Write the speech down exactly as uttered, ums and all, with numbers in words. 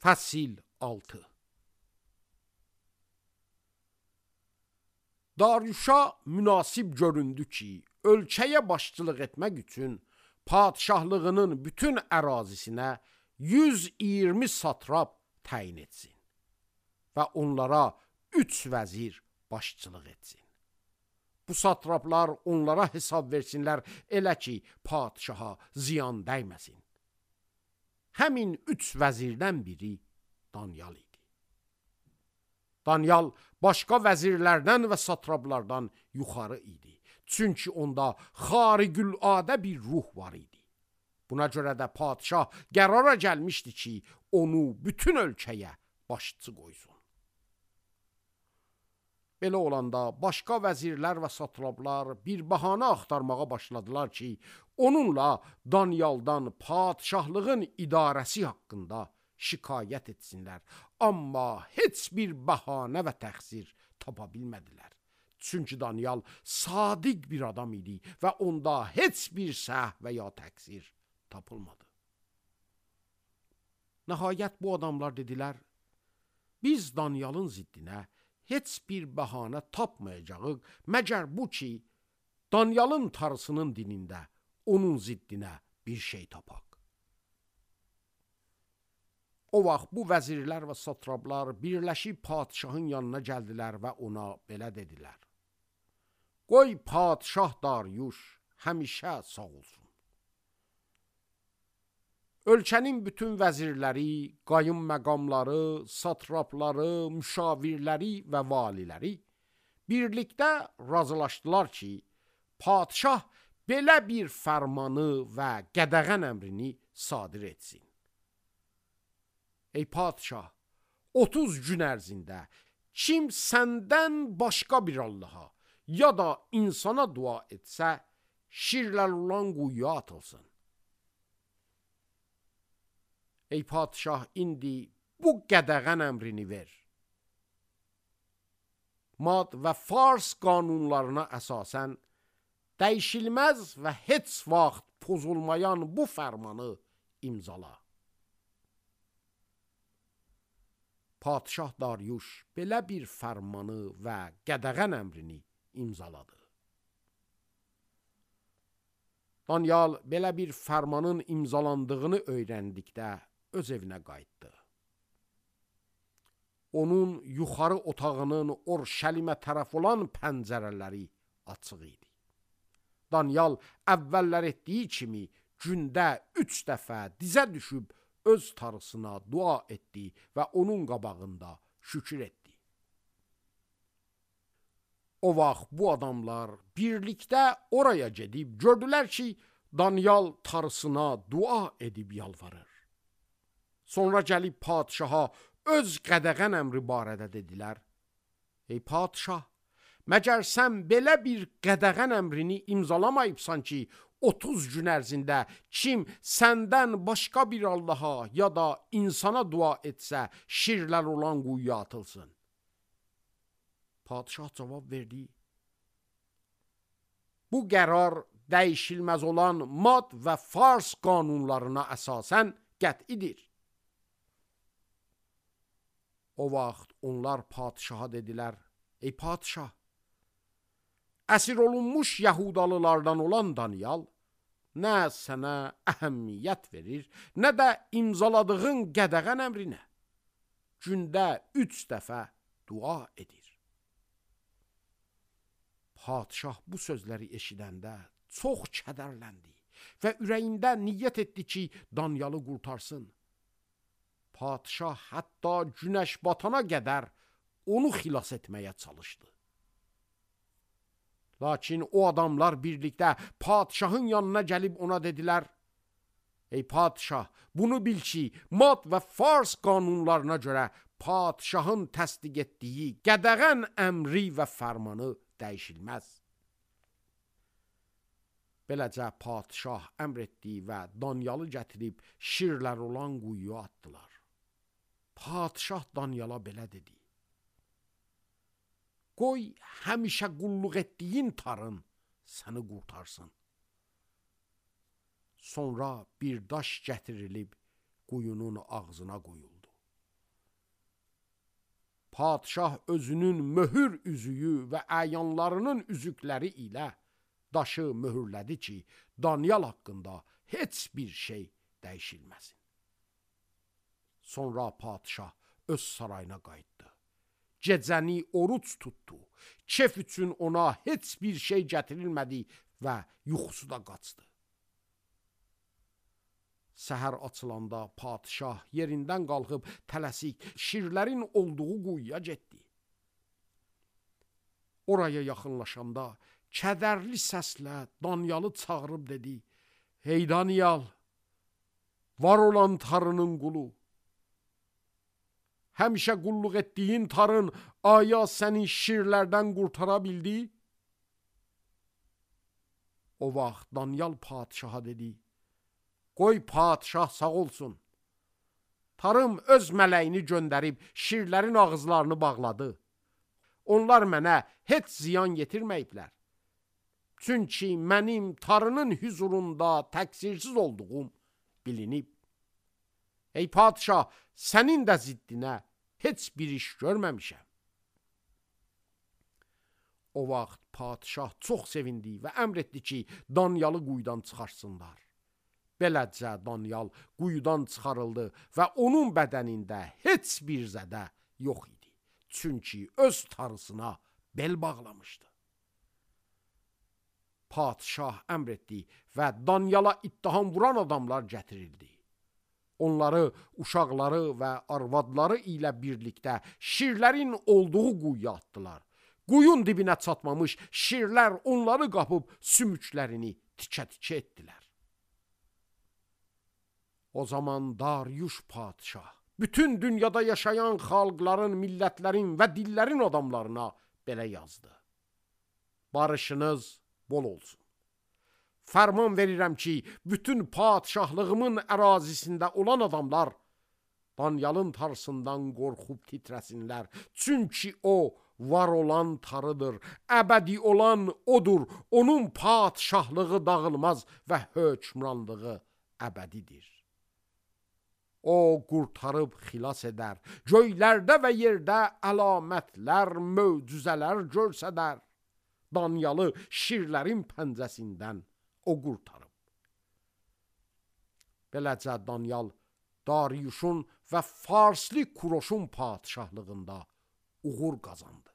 Fəsil altı. Daryuşa münasib göründü ki, ölkəyə başçılıq etmək üçün padişahlığının bütün ərazisinə yüz iyirmi satrap təyin etsin və onlara üç vəzir başçılıq etsin. Bu satraplar onlara hesab versinlər, elə ki, padişaha ziyan dəyməsin. Həmin üç vəzirdən biri Danyal idi. Danyal başqa vəzirlərdən və satraplardan yuxarı idi. Çünki onda xarigüladə bir ruh var idi. Buna görə də padişah qərara gəlmişdi ki, onu bütün ölkəyə başçı qoysun. Belə olanda başqa vəzirlər və satraplar bir bəhanə axtarmağa başladılar ki, onunla Danyaldan padişahlığın idarəsi haqqında şikayət etsinlər. Amma heç bir bəhanə və təxsir tapa bilmədilər. Çünki Danyal sadiq bir adam idi və onda heç bir səhv və ya təqsir tapılmadı. Nəhayət bu adamlar dedilər, biz Danyalın ziddinə heç bir bəhanə tapmayacağıq, məgər bu ki, Danyalın tarısının dinində onun ziddinə bir şey tapaq. O vaxt bu vəzirlər və satraplar birləşib padişahın yanına gəldilər və ona belə dedilər. Qoy padişah Daryuş həmişə sağ olsun. Ölkənin bütün vəzirləri, qayım məqamları, satrapları, müşavirləri və valiləri birlikdə razılaşdılar ki, padişah belə bir fərmanı və qədəğən əmrini sadir etsin. Ey padişah, otuz gün ərzində kim səndən başqa bir Allaha ya da insana dua etsə, şirlər olan quyuya atılsın. Ey padişah, indi bu qədəğən əmrini ver. Mad və Fars qanunlarına əsasən dəyişilməz və heç vaxt pozulmayan bu fərmanı imzala. Padişah Daryuş belə bir fərmanı və qədəğən əmrini imzaladı. Danyal belə bir fərmanın imzalandığını öyrəndikdə öz evinə qayıtdı. Onun yuxarı otağının Orşəlimə tərəf olan pəncərələri açıq idi. Danyal əvvəllər etdiyi kimi gündə üç dəfə dizə düşüb öz tarısına dua etdi və onun qabağında şükür etdi. O vaxt bu adamlar birlikdə oraya gedib gördülər ki, Danyal tarısına dua edib yalvarır. Sonra gəlib padişaha öz qədəğən əmri barədə dedilər. Ey padişah, məgər sən belə bir qədəğən əmrini imzalamayıbsan ki, otuz gün ərzində kim səndən başqa bir Allaha ya da insana dua etsə, şirlər olan quyuya atılsın. Padişah cavab verdi. Bu qərar dəyişilməz olan Mad və Fars qanunlarına əsasən qət'idir. O vaxt onlar padişaha dedilər, ey padişah, əsir olunmuş Yahudalılardan olan Danyal nə sənə əhəmiyyət verir, nə də imzaladığın qədəğən əmrinə. Gündə üç dəfə dua edir. Padişah bu sözləri eşidəndə çox kədərləndi və ürəyində niyyət etdi ki, Danyalı qurtarsın. Padişah hətta günəş batana qədər onu xilas etməyə çalışdı. Lakin o adamlar birlikdə padişahın yanına gəlib ona dedilər, ey padişah, bunu bil ki, Mad və Fars qanunlarına görə padişahın təsdiq etdiyi qədəğən əmri və fərmanı dəyişilməz. Beləcə padişah əmr etdi və Danyalı gətirib şirlər olan quyuya atdılar. Padişah Danyala belə dedi. Qoy həmişə qulluq etdiyin tarın səni qurtarsın. Sonra bir daş gətirilib quyunun ağzına qoyuldu. padşah özünün möhür üzüyü və əyanlarının üzükləri ilə daşı möhürlədi ki, Danyal haqqında heç bir şey dəyişilməsin. Sonra padşah öz sarayına qayıtdı. Gecəni oruç tutdu. Kef üçün ona heç bir şey gətirilmədi və yuxusu da qaçdı. Səhər açılanda padşah yerindən qalxıb tələsik şirlərin olduğu quyuya getdi. Oraya yaxınlaşanda kədərli səslə Danyalı çağırıb dedi: "Hey Danyal, var olan Tarının qulu, həmişə qulluq etdiyin Tarın aya səni şirlərdən qurtara bildi?" O vaxt Danyal padşaha dedi: "Qoy padşah sağ olsun. Tarım öz mələyini göndərib şirlərin ağızlarını bağladı. Onlar mənə heç ziyan yetirməyiblər. Çünki mənim Tarının hüzurunda təqsirsiz olduğum bilinib. Ey padşah, sənin də ziddinə heç bir iş görməmişəm." O vaxt padşah çox sevindi və əmr etdi ki, Danyalı quyudan çıxarsınlar. Beləcə Danyal quyudan çıxarıldı və onun bədənində heç bir zədə yox idi. Çünki öz tarısına bel bağlamışdı. Padşah əmr etdi və Danyala ittiham vuran adamlar gətirildi. Onları, uşaqları və arvadları ilə birlikdə şirlərin olduğu quyuya atdılar. Quyun dibinə çatmamış şirlər onları qapıb sümüklərini tikə-tikə etdilər. O zaman Daryuş padşah bütün dünyada yaşayan xalqların, millətlərin və dillərin adamlarına belə yazdı: "Barışınız bol olsun. Fərman verirəm ki, bütün padşahlığımın ərazisində olan adamlar Danyalın tarısından qorxub titrəsinlər. Çünki o var olan Tarıdır, əbədi olan odur. Onun padşahlığı dağılmaz və hökmranlığı əbədidir. O qurtarıb xilas edər, göylərdə və yerdə əlamətlər, möcüzələr görsədər. Danyalı şirlərin pəncəsindən o qurtarıb." Beləcə Danyal Daryuşun və Farslı Kuroşun padşahlığında uğur qazandı.